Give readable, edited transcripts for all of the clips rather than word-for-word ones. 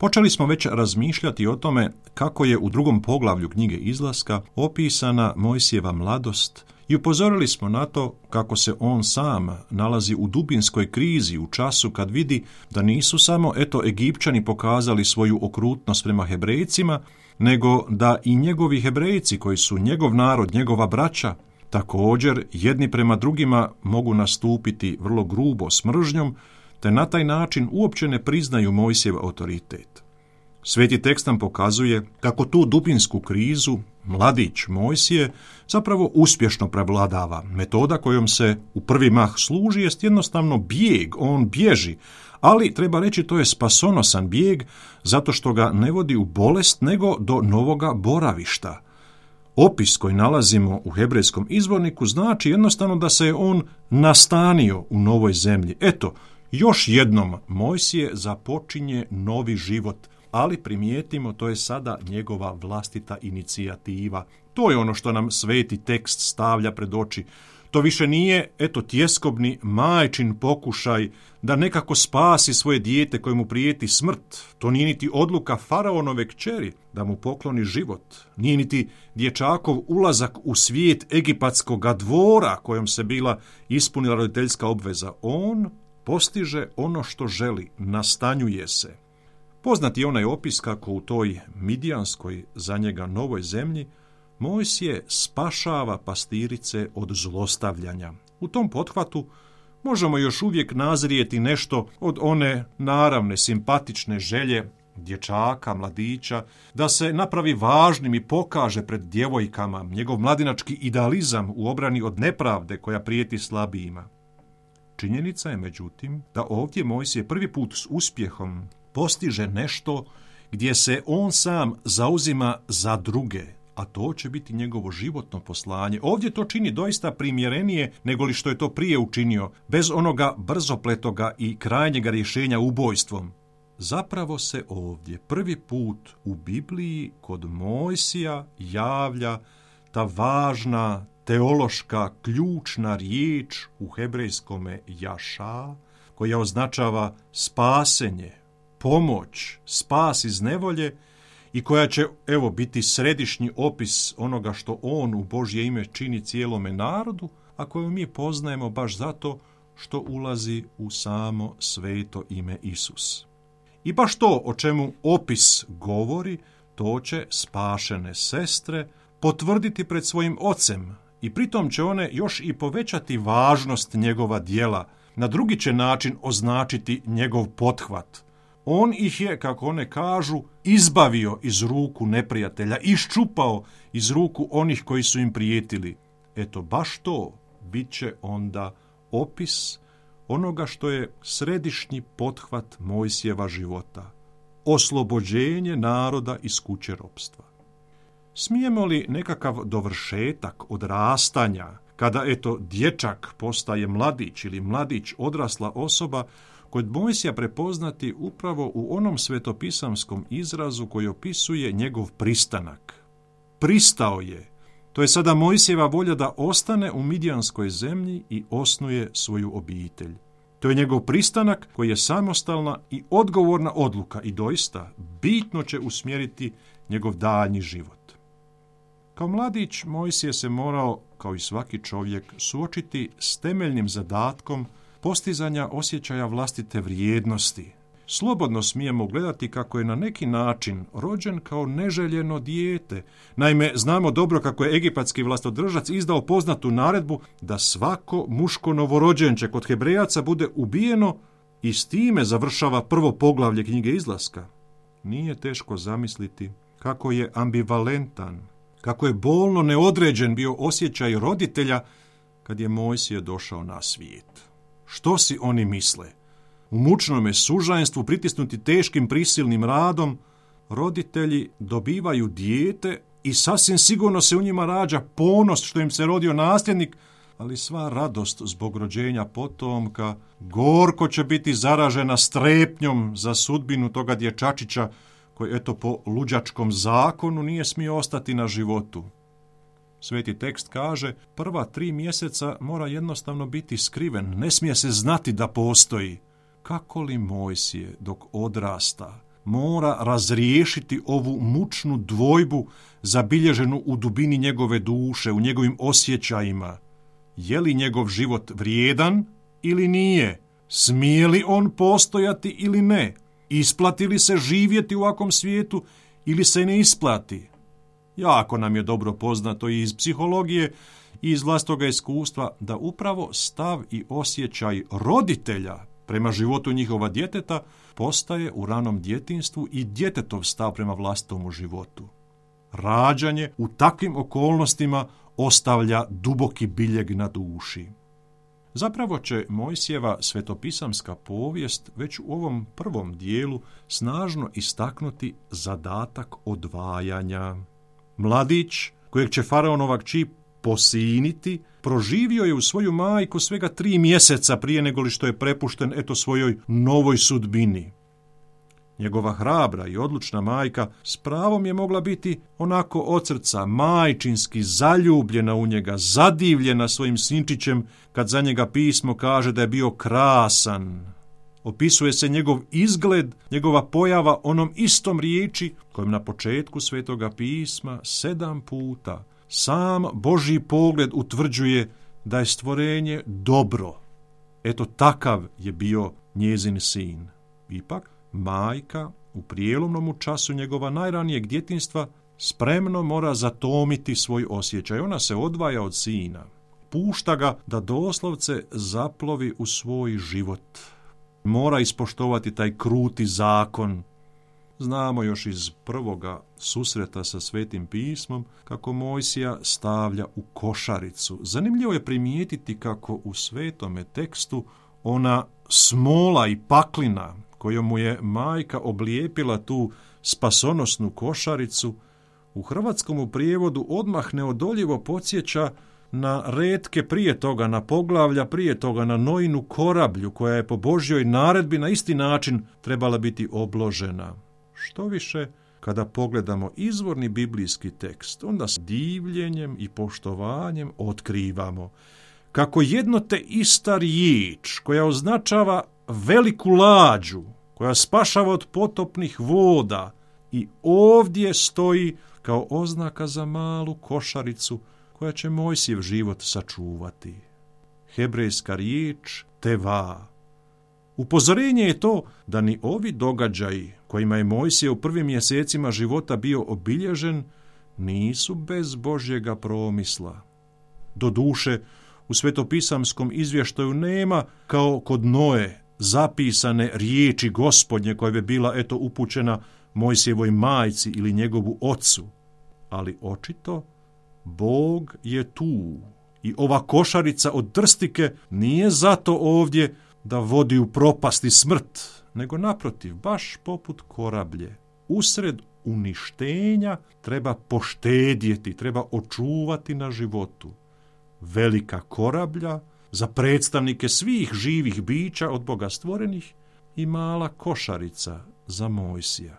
Počeli smo već razmišljati o tome kako je u 2. poglavlju knjige Izlaska opisana Mojsijeva mladost i upozorili smo na to kako se on sam nalazi u dubinskoj krizi u času kad vidi da nisu samo Egipćani pokazali svoju okrutnost prema Hebrejcima, nego da i njegovi Hebrejci koji su njegov narod, njegova braća, također jedni prema drugima mogu nastupiti vrlo grubo s mržnjom, te na taj način uopće ne priznaju Mojsijev autoritet. Sveti tekst nam pokazuje kako tu dubinsku krizu mladić Mojsije zapravo uspješno prevladava. Metoda kojom se u prvi mah služi jest jednostavno bijeg, on bježi, ali treba reći to je spasonosan bijeg zato što ga ne vodi u bolest nego do novoga boravišta. Opis koji nalazimo u hebrejskom izvorniku znači jednostavno da se je on nastanio u novoj zemlji. Još jednom Mojsije započinje novi život, ali primijetimo, to je sada njegova vlastita inicijativa. To je ono što nam sveti tekst stavlja pred oči. To više nije, tjeskobni majčin pokušaj da nekako spasi svoje dijete kojemu prijeti smrt. To nije niti odluka faraonove kćeri da mu pokloni život. Nije niti dječakov ulazak u svijet egipatskoga dvora kojom se bila ispunila roditeljska obveza. On postiže ono što želi, nastanjuje se. Poznat je onaj opis kako u toj midijanskoj za njega novoj zemlji Mojsije spašava pastirice od zlostavljanja. U tom pothvatu možemo još uvijek nazrijeti nešto od one naravne, simpatične želje dječaka, mladića, da se napravi važnim i pokaže pred djevojkama njegov mladinački idealizam u obrani od nepravde koja prijeti slabijima. Činjenica je, međutim, da ovdje Mojsije prvi put s uspjehom postiže nešto gdje se on sam zauzima za druge, a to će biti njegovo životno poslanje. Ovdje to čini doista primjerenije nego li što je to prije učinio, bez onoga brzopletoga i krajnjega rješenja ubojstvom. Zapravo se ovdje prvi put u Bibliji kod Mojsija javlja ta važna teološka ključna riječ u hebrejskome jaša, koja označava spasenje, pomoć, spas iz nevolje i koja će, biti središnji opis onoga što on u Božje ime čini cijelome narodu, a koju mi poznajemo baš zato što ulazi u samo sveto ime Isus. I baš to o čemu opis govori, to će spašene sestre potvrditi pred svojim ocem i pritom će one još i povećati važnost njegova djela, na drugi će način označiti njegov pothvat. On ih je, kako one kažu, izbavio iz ruku neprijatelja, iščupao iz ruku onih koji su im prijetili. Baš to bit će onda opis onoga što je središnji pothvat Mojsijeva života. Oslobođenje naroda iz kuće ropstva. Smijemo li nekakav dovršetak odrastanja, kada dječak postaje mladić ili mladić odrasla osoba, kod Mojsija prepoznati upravo u onom svetopisamskom izrazu koji opisuje njegov pristanak. Pristao je. To je sada Mojsijeva volja da ostane u midijanskoj zemlji i osnuje svoju obitelj. To je njegov pristanak koji je samostalna i odgovorna odluka i doista bitno će usmjeriti njegov daljnji život. Kao mladić Mojsije se morao, kao i svaki čovjek, suočiti s temeljnim zadatkom postizanja osjećaja vlastite vrijednosti. Slobodno smijemo gledati kako je na neki način rođen kao neželjeno dijete. Naime, znamo dobro kako je egipatski vlastodržac izdao poznatu naredbu da svako muško novorođenče kod Hebrejaca bude ubijeno i s time završava prvo poglavlje knjige Izlaska. Nije teško zamisliti kako je ambivalentan, kako je bolno neodređen bio osjećaj roditelja kad je Mojsije došao na svijet. Što si oni misle? U mučnome sužanstvu, pritisnuti teškim prisilnim radom, roditelji dobivaju dijete i sasvim sigurno se u njima rađa ponos što im se rodio nasljednik, ali sva radost zbog rođenja potomka gorko će biti zaražena strepnjom za sudbinu toga dječačića koji po luđačkom zakonu nije smio ostati na životu. Sveti tekst kaže, prva 3 mjeseca mora jednostavno biti skriven, ne smije se znati da postoji. Kako li Mojsije dok odrasta mora razriješiti ovu mučnu dvojbu zabilježenu u dubini njegove duše, u njegovim osjećajima. Je li njegov život vrijedan ili nije? Smije li on postojati ili ne? Isplati li se živjeti u ovakvom svijetu ili se ne isplati? Jako nam je dobro poznato i iz psihologije i iz vlastitoga iskustva da upravo stav i osjećaj roditelja prema životu njihova djeteta postaje u ranom djetinjstvu i djetetov stav prema vlastitom životu. Rađanje u takvim okolnostima ostavlja duboki biljeg na duši. Zapravo će Mojsijeva svetopisamska povijest već u ovom prvom dijelu snažno istaknuti zadatak odvajanja. Mladić, kojeg će faraonova kći posiniti, proživio je u svoju majku svega 3 mjeseca prije nego li što je prepušten svojoj novoj sudbini. Njegova hrabra i odlučna majka s pravom je mogla biti onako od srca majčinski zaljubljena u njega, zadivljena svojim sinčićem kad za njega pismo kaže da je bio krasan. Opisuje se njegov izgled, njegova pojava onom istom riječi kojom na početku Svetoga pisma 7 puta sam Božji pogled utvrđuje da je stvorenje dobro. Takav je bio njezin sin. Ipak, majka u prijelomnom času njegova najranijeg djetinjstva spremno mora zatomiti svoj osjećaj. Ona se odvaja od sina. Pušta ga da doslovce zaplovi u svoj život. Mora ispoštovati taj kruti zakon. Znamo još iz prvoga susreta sa Svetim pismom kako Mojsija stavlja u košaricu. Zanimljivo je primijetiti kako u svetome tekstu ona smola i paklina kojom mu je majka oblijepila tu spasonosnu košaricu, u hrvatskom prijevodu odmah neodoljivo podsjeća na retke prije toga, na poglavlja prije toga, na Noinu korablju koja je po Božjoj naredbi na isti način trebala biti obložena. Što više, kada pogledamo izvorni biblijski tekst, onda s divljenjem i poštovanjem otkrivamo kako jedno te ista riječ koja označava veliku lađu, koja spašava od potopnih voda, i ovdje stoji kao oznaka za malu košaricu koja će Mojsijev život sačuvati. Hebrejska riječ teva. Upozorenje je to da ni ovi događaji kojima je Mojsije u prvim mjesecima života bio obilježen nisu bez Božjega promisla. Doduše, u svetopisamskom izvještaju nema, kao kod Noe, zapisane riječi Gospodnje koja bi bila upućena Mojsijevoj majci ili njegovu ocu. Ali očito Bog je tu i ova košarica od trstike nije zato ovdje da vodi u propast i smrt, nego naprotiv, baš poput korablje. Usred uništenja treba poštedjeti, treba očuvati na životu. Velika korablja za predstavnike svih živih bića od Boga stvorenih i mala košarica za Mojsija.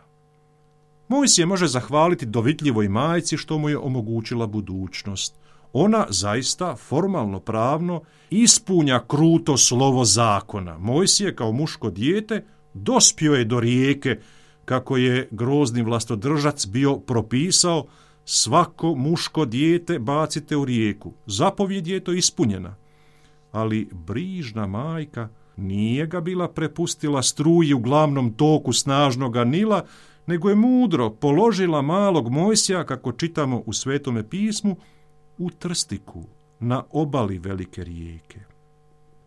Mojsije može zahvaliti dovitljivoj majci što mu je omogućila budućnost. Ona zaista formalno pravno ispunja kruto slovo zakona. Mojsije kao muško dijete dospio je do rijeke, kako je grozni vlastodržac bio propisao, svako muško dijete bacite u rijeku. Zapovjed je ispunjena. Ali brižna majka nije ga bila prepustila struji u glavnom toku snažnoga Nila, nego je mudro položila malog Mojsija, kako čitamo u Svetome pismu, u trstiku na obali velike rijeke.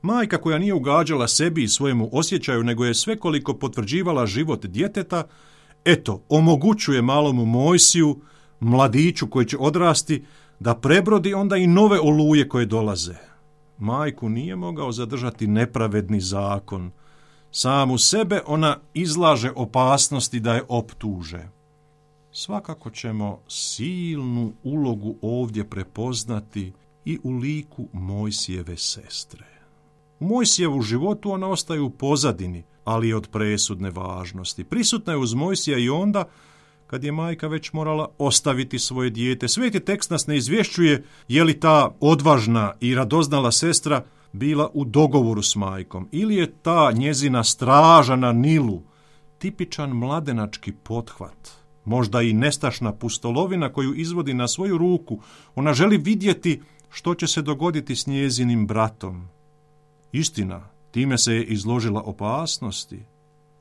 Majka koja nije ugađala sebi i svojemu osjećaju, nego je svekoliko potvrđivala život djeteta, omogućuje malomu Mojsiju, mladiću koji će odrasti, da prebrodi onda i nove oluje koje dolaze. Majku nije mogao zadržati nepravedni zakon. Samu sebe ona izlaže opasnosti da je optuže. Svakako ćemo silnu ulogu ovdje prepoznati i u liku Mojsijeve sestre. U Mojsijevu životu ona ostaje u pozadini, ali je od presudne važnosti. Prisutna je uz Mojsija i onda kad je majka već morala ostaviti svoje dijete. Sveti tekst nas ne izvješćuje je li ta odvažna i radoznala sestra bila u dogovoru s majkom ili je ta njezina straža na Nilu tipičan mladenački pothvat, možda i nestašna pustolovina koju izvodi na svoju ruku. Ona želi vidjeti što će se dogoditi s njezinim bratom. Istina, time se je izložila opasnosti.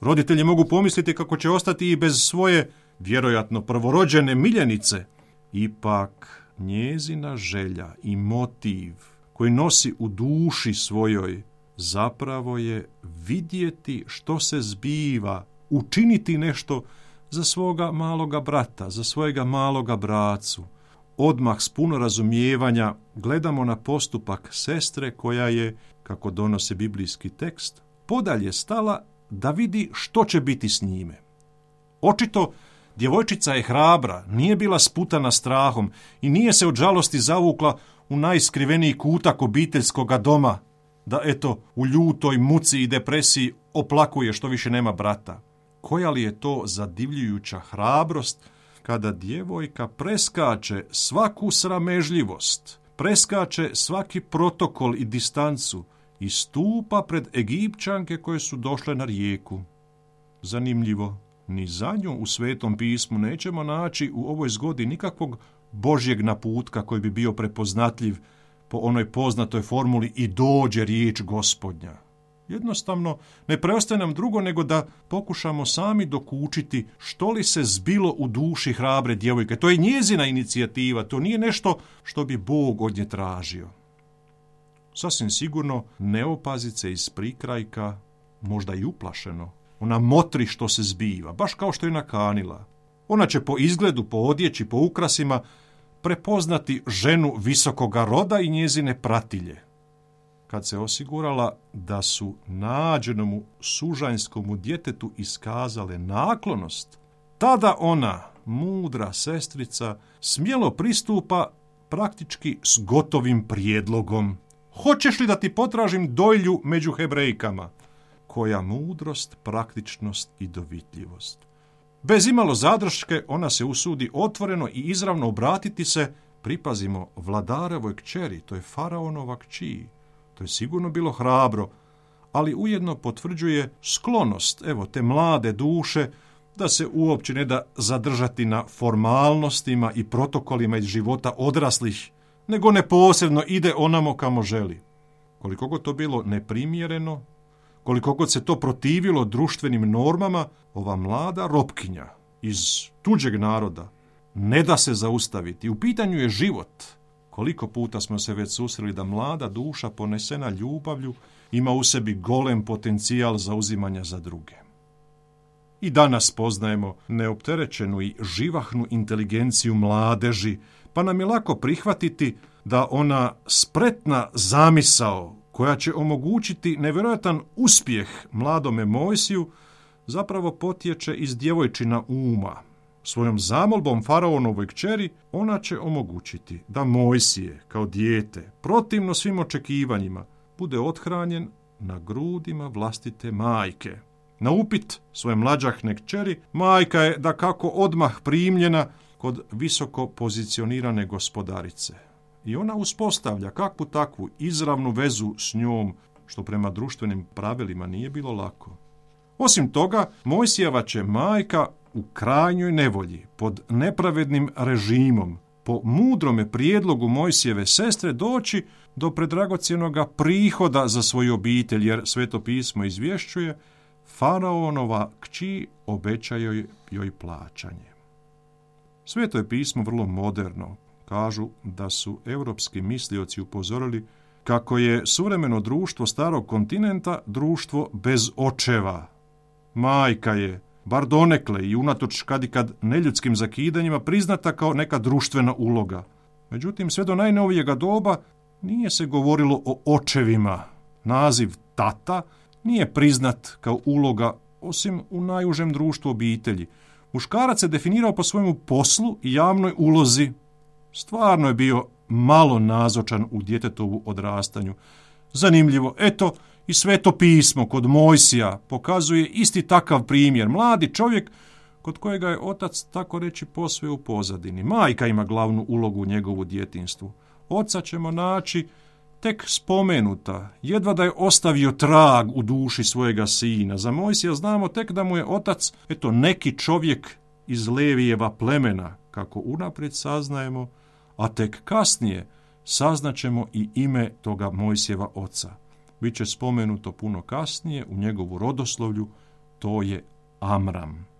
Roditelji mogu pomisliti kako će ostati i bez svoje, vjerojatno prvorođene miljenice. Ipak, njezina želja i motiv koji nosi u duši svojoj zapravo je vidjeti što se zbiva, učiniti nešto za svoga maloga brata, za svojega maloga bracu. Odmah s puno razumijevanja gledamo na postupak sestre koja je, kako donose biblijski tekst, podalje stala da vidi što će biti s njime. Očito, djevojčica je hrabra, nije bila sputana strahom i nije se od žalosti zavukla u najskriveniji kutak obiteljskoga doma, da eto u ljutoj muci i depresiji oplakuje što više nema brata. Koja li je to zadivljujuća hrabrost kada djevojka preskače svaku sramežljivost, preskače svaki protokol i distancu i stupa pred Egipćanke koje su došle na rijeku. Zanimljivo, ni za nju u Svetom pismu nećemo naći u ovoj zgodi nikakvog Božjeg naputka koji bi bio prepoznatljiv po onoj poznatoj formuli i dođe riječ Gospodnja. Jednostavno, ne preostaje nam drugo nego da pokušamo sami dokučiti što li se zbilo u duši hrabre djevojke. To je njezina inicijativa, to nije nešto što bi Bog od nje tražio. Sasvim sigurno ne opazit se iz prikrajka, možda i uplašeno. Ona motri što se zbiva, baš kao što je nakanila. Ona će po izgledu, po odjeći, po ukrasima prepoznati ženu visokoga roda i njezine pratilje. Kad se osigurala da su nađenomu sužanjskomu djetetu iskazale naklonost, tada ona, mudra sestrica, smjelo pristupa praktički s gotovim prijedlogom. Hoćeš li da ti potražim dojlju među Hebrejkama? Koja mudrost, praktičnost i dovitljivost. Bez imalo zadrške ona se usudi otvoreno i izravno obratiti se, pripazimo, vladarovoj kćeri, to je faraonova kći. To je sigurno bilo hrabro, ali ujedno potvrđuje sklonost, te mlade duše, da se uopće ne da zadržati na formalnostima i protokolima iz života odraslih, nego neposredno ide onamo kamo želi. Koliko god to bilo neprimjereno, koliko god se to protivilo društvenim normama, ova mlada robkinja iz tuđeg naroda ne da se zaustaviti. U pitanju je život. Koliko puta smo se već susreli da mlada duša ponesena ljubavlju ima u sebi golem potencijal zauzimanja za druge. I danas poznajemo neopterećenu i živahnu inteligenciju mladeži, pa nam je lako prihvatiti da ona spretna zamisao koja će omogućiti nevjerojatan uspjeh mladome Mojsiju zapravo potječe iz djevojčina uma. Svojom zamolbom faraonovoj kćeri ona će omogućiti da Mojsije, kao dijete, protivno svim očekivanjima, bude othranjen na grudima vlastite majke. Na upit svoje mlađahne kćeri, majka je dakako odmah primljena kod visoko pozicionirane gospodarice. I ona uspostavlja kakvu takvu izravnu vezu s njom, što prema društvenim pravilima nije bilo lako. Osim toga, Mojsijeva će majka u krajnjoj nevolji, pod nepravednim režimom, po mudrome prijedlogu Mojsijeve sestre doći do predragocjenoga prihoda za svoju obitelj, jer Sveto pismo izvješćuje, faraonova kći obećaju joj plaćanje. Sveto je pismo vrlo moderno. Kažu da su europski mislioci upozorili kako je suvremeno društvo starog kontinenta društvo bez očeva. Majka je, bar donekle i unatoč kadikad neljudskim zakidanjima, priznata kao neka društvena uloga. Međutim, sve do najnovijega doba nije se govorilo o očevima. Naziv tata nije priznat kao uloga, osim u najužem društvu obitelji. Muškarac se definirao po svojemu poslu i javnoj ulozi. Stvarno je bio malo nazočan u djetetovu odrastanju. Zanimljivo, i Sveto pismo kod Mojsija pokazuje isti takav primjer. Mladi čovjek kod kojega je otac, tako reći, posve u pozadini. Majka ima glavnu ulogu u njegovu djetinjstvu. Oca ćemo naći tek spomenuta, jedva da je ostavio trag u duši svojega sina. Za Mojsija znamo tek da mu je otac, neki čovjek iz Levijeva plemena, kako unaprijed saznajemo, a tek kasnije saznaćemo i ime toga Mojsijeva oca. Biće spomenuto puno kasnije u njegovu rodoslovlju, to je Amram.